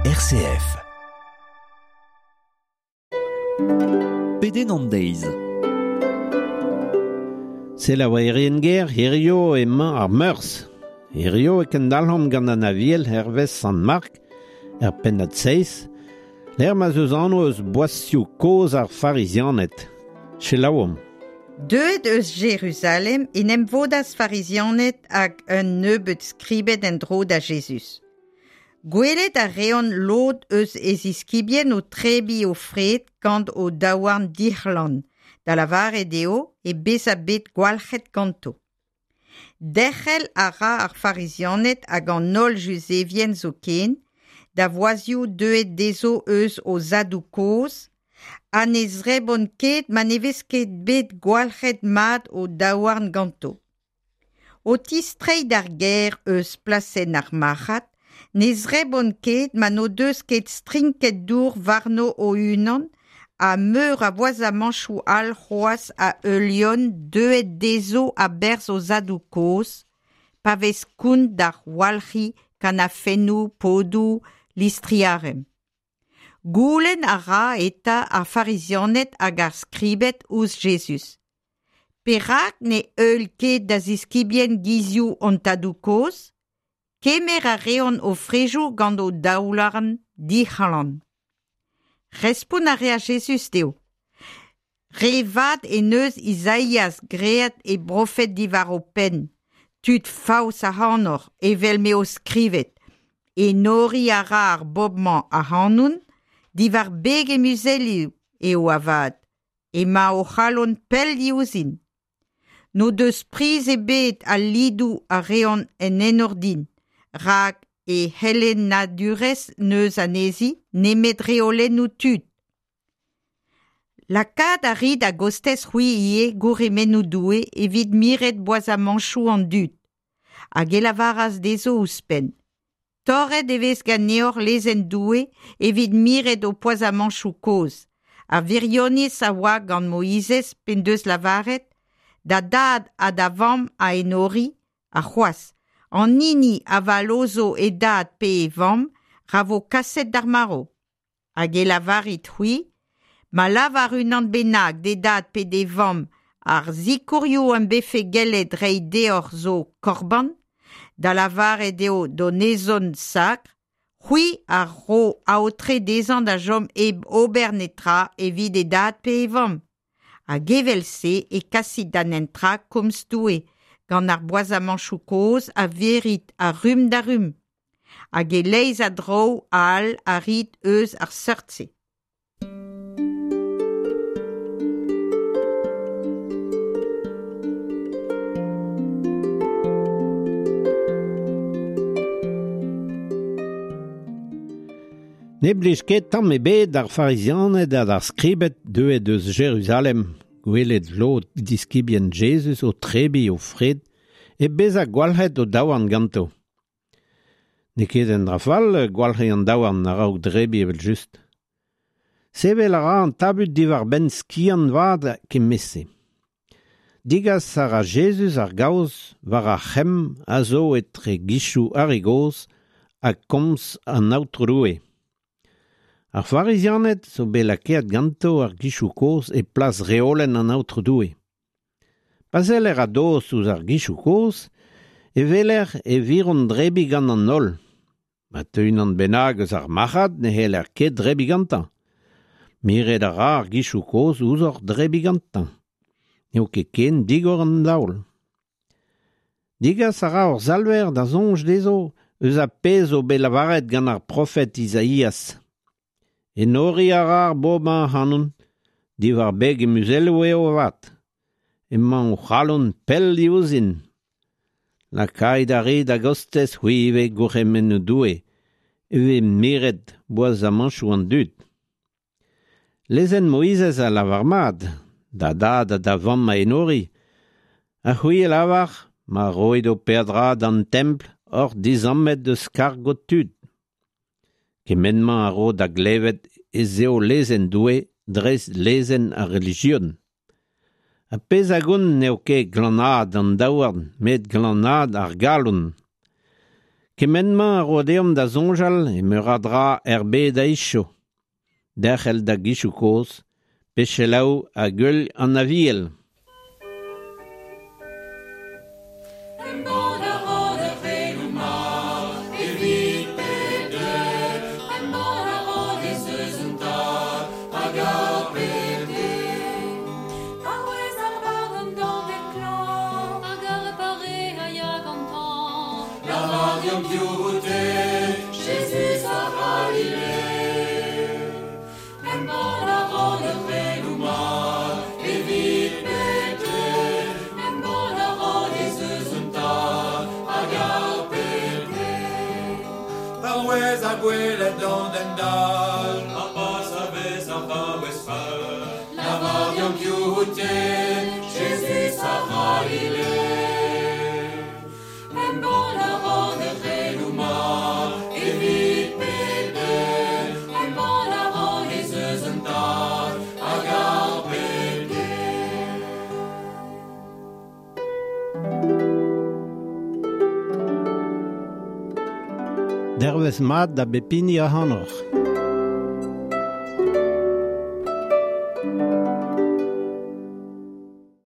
RCF. Pedenn an deiz. Selaouerien ger, hirio emañ ar Meurzh. Hirio e kendalc'homp gant an Aviel hervez Sant Mark, er pennad seizh, lec'h ma'z eus anv eus boazioù kozh ar Farizianed. Selaouomp. Deuet eus Jeruzalem en em vodas Farizianed hag un nebeud skribed en-dro da Jezuz. Gwelet a reont lod eus e ziskibien o trebiñ o fred gant o daouarn dic'hlan, da lavaret eo e bezañ bet gwalc'het ganto. Derc'hel a ra ar Farizianed hag an holl Juzevien zoken da voazioù deuet dezho eus o zadoù-kozh ha ne zrebont ket ma ne vez ket bet gwalc'het mat o daouarn ganto. O tistreiñ d'ar gêr eus plasenn ar marc'had, ne zrebont ket ma n'o deus ket strinket dour warno o-unan ha meur a voazamañchoù all c'hoazh a heuliont deuet dezho a-berzh o zadoù-kozh, pa vez kont d'ar walc'hiñ kanafennoù, podoù, listri-arem. Goulenn a ra eta ar Farizianed hag ar Skribed ouzh Jezuz. Perak ne heul ket da ziskibien gizioù hon tadoù-kozh? Kemer a reont o frejoù gant o daouarn dic'hlan. Respont a reas Jezuz dezho. Re vat en deus Izaias graet e brofed diwar ho penn, tud faos ac'hanoc'h evel m'eo skrivet. Enoriñ a ra ar bobl-mañ ac'hanon, diwar beg e muzelioù eo avat. Emañ o c'halon pell diouzhin. N'o deus priz ebet al lidoù a reont en enor din, rak e c'helennadurezh n'eus anezhi nemet reolennoù tud. Lakaat a rit a-gostez c'hwi ivez gourc'hemennoù Doue evit miret boazamañchoù an dud. Hag e lavaras dezho ouzhpenn. Torret e vez ganeoc'h lezenn Doue evit miret ho poazamañchoù kozh. Ar wirionez a oa gant Moizez p'en deus lavaret da dad ha da vamm a enori, ha c'hoazh, an hini a vallozho e dad pe e vamm ra vo kaset d'ar marv. Hag e lavarit-c'hwi, ma lavar unan bennak d'e dad pe d'e vamm ar sikourioù am befe gellet reiñ deoc'h zo korban, da lavaret eo donezon sakr, c'hwi a ro aotre dezhañ da chom hep ober netra evit e dad pe e vamm. Hag evel-se e kasit da netra komz Doue, gant ar boazamañchoù kozh a virit a rumm da rumm. Hag e-leizh a draoù all a rit eus ar seurt-se. Ne blij ket tamm ebet d'ar Farizianed ha d'ar Skribed deuet eus Jeruzalem gwelet lod diskibien Jezuz o trebiñ o fred hep bezañ gwalc'het o daouarn ganto. N'eo ket un dra fall gwalc'hiñ an daouarn a-raok drebiñ evel-just. Sevel a ra an tabut diwar-benn skiant vat kement-se. Degas a ra Jezuz ar gaoz war ar c'hemm a zo etre gizioù ar re gozh ha komz an Aotrou Doue. Ar Farizianed zo bet lakaet ganto ar gizioù kozh e plas reolenn an Aotrou Doue. Pa seller a-dost ouzh ar gizioù kozh e weler e viront drebiñ gant an holl. Ma teu unan bennak eus ar marc'had ne c'heller ket drebiñ gantañ. Miret a ra ar gizioù kozh ouzhoc'h drebiñ gantañ. N'eo ket ken digor an daol. Degas a ra hor Salver da soñj dezho eus ar pezh zo bet lavaret gant ar profed Izaias. Enoriñ a ra ar bobl-mañ ac'hanon, diwar beg e muzelloù eo avat. Emañ o c'halon pell diouzhin. Lakait ar re da gostez c'hwi ivez gourc'hemennoù Doue, e vez miret boazamañchoù an dud. Lezenn Moizez a lavar mat, da dad ha da vamm a enori, ha c'hwi a lavar, ma roit ho peadra d'an templ oc'h dizammet eus karg ho tud. Kement-mañ a ro da glevet ez eo lezenn Doue dreist lezenn ar relijion. Ar pezh a gont n'eo ket glanaat an daouarn met glanaat ar galon. Kement-mañ a ro deomp da soñjal e meur a dra er bed a-wechoù. Derc'hel da gizioù kozh, pe selaou hag heul an Aviel. Embann a ran ar c'heloù mat evit pep den. Embann a ran ez eus un Tad hag ar pep den. Paouez ar barr an dañved klañv hag ar pare a ya gantañ. Lavar deomp piv out-te, Jezuz a C'halile. Embann a ran ar c'heloù mat evit pep den. Embann a ran ez eus un Tad hag ar pep den. Paouez ar gwelet d'an den dall, ar pas a vez ar vaouez fall. Lavar deomp piv out-te, Jezuz a C'halile. Embann a ran ar c'heloù mat evit pep den. Embann a ran ez eus un Tad hag ar pep den. Dervezh mat da bep hini ac'hanoc'h.